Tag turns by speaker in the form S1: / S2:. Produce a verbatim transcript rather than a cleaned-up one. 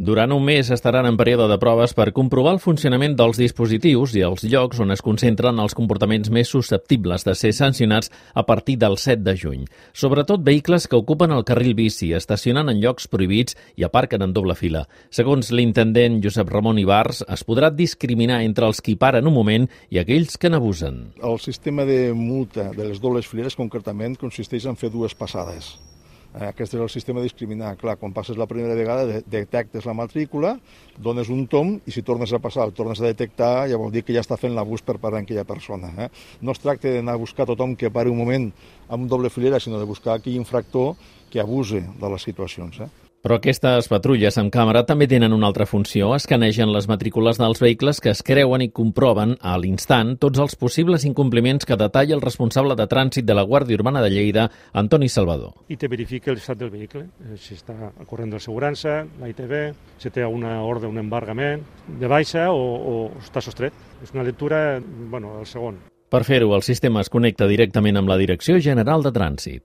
S1: Durant un mes estaran en període de proves per comprovar el funcionament dels dispositius i els llocs on es concentren els comportaments més susceptibles de ser sancionats a partir del set de juny. Sobretot vehicles que ocupen el carril bici, estacionen en llocs prohibits i aparquen en doble fila. Segons l'intendent Josep Ramon Ibars, es podrà discriminar entre els qui paren un moment i aquells que n'abusen.
S2: El sistema de multa de les dobles fileres concretament consisteix en fer dues passades. Aquest és el sistema de discriminar. Clar, quan passes la primera vegada detectes la matrícula, dones un tom i si tornes a passar, el tornes a detectar, ja vol dir que ja està fent l'abús per part d'aquella persona. Eh? No es tracta d'anar a buscar tothom que pari un moment amb doble filera, sinó de buscar aquell infractor que abuse de les situacions. Eh?
S1: Però aquestes patrulles amb càmera també tenen una altra funció. Escanegen les matrícules dels vehicles que es creuen i comproven a l'instant tots els possibles incompliments que detalla el responsable de trànsit de la Guàrdia Urbana de Lleida, Antoni Salvador.
S3: I te verifica l'estat del vehicle, si està corrent d'assegurança, la I T V, si té una ordre, un embargament, de baixa o, o està sostret. És una lectura, bueno, el segon.
S1: Per fer-ho, el sistema es connecta directament amb la Direcció General de Trànsit.